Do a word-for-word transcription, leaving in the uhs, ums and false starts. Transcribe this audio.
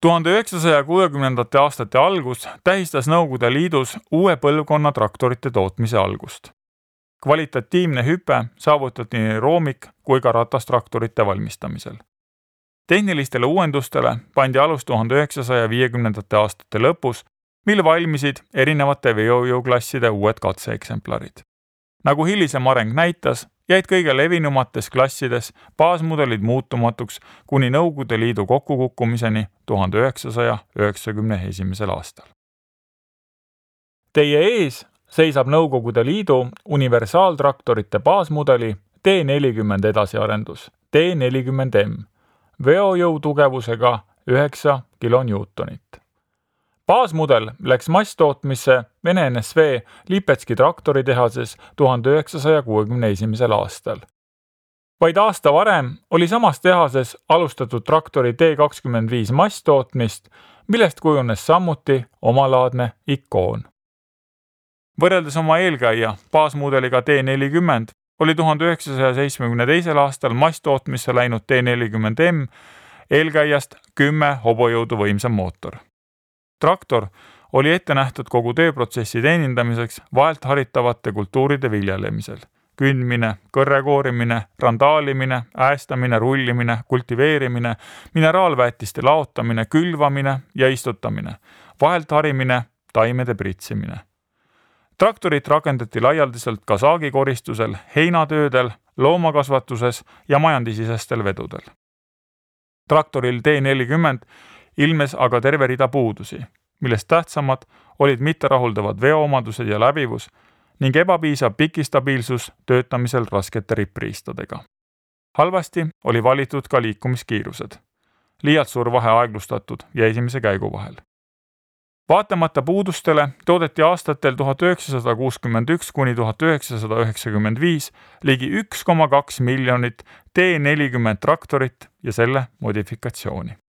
tuhande üheksasaja kuuekümnendate aastate algus tähistas Nõukogude Liidus uue põlvkonna traktorite tootmise algust. Kvalitatiivne hüpe saavutati nii roomik- kui ka ratastraktorite valmistamisel. Tehnilistele uuendustele pandi alus tuhande üheksasaja viiekümnendate aastate lõpus, mil valmisid erinevate veojõuklasside uued katseeksemplarid. Nagu hilisem areng näitas, jäid kõige levinumates klassides baasmudelid muutumatuks kuni Nõukogude Liidu kokkukukkumiseni tuhande üheksasaja üheksakümne esimesel aastal. Teie ees seisab Nõukogude Liidu universaaltraktorite baasmudeli T nelikümmend edasiarendus T nelikümmend M veojõutugevusega üheksa kilonewtonit. Baasmudel läks masstootmisse Vene N S V Lipetski traktoritehases tuhande üheksasaja kuuekümne esimesel aastal. Vaid aasta varem oli samas tehases alustatud traktori T kakskümmend viis masstootmist, millest kujunes samuti omalaadne ikoon. Võrreldes oma eelkäija baasmudeliga T nelikümmend oli tuhande üheksasaja seitsmekümne teisel aastal masstootmisse läinud T nelikümmend M eelkäijast kümme hobujõudu võimsam mootor. Traktor oli ette nähtud kogu tööprotsessi teenindamiseks vahelt haritavate kultuuride viljelemisel. Kündmine, kõrrekoorimine, randaalimine, äästamine, rullimine, kultiveerimine, mineraalväetiste laotamine, külvamine ja istutamine, vahelt harimine, taimede pritsimine. Traktorit rakendati laialdiselt ka saagikoristusel, heinatöödel, loomakasvatuses ja majandisisestel vedudel. Traktoril T nelikümmend ilmes aga terve rida puudusi, millest tähtsamad olid mitterahuldavad veoomadused ja läbivus ning ebapiisav pikistabiilsus töötamisel raskete rippriistadega. Halvasti oli valitud ka liikumiskiirused, liialt suur vahe aeglustatud ja esimese käigu vahel. Vaatamata puudustele toodeti aastatel tuhat üheksasada kuuskümmend üks kuni tuhat üheksasada üheksakümmend viis ligi üks koma kaks miljonit T nelikümmend traktorit ja selle modifikatsiooni.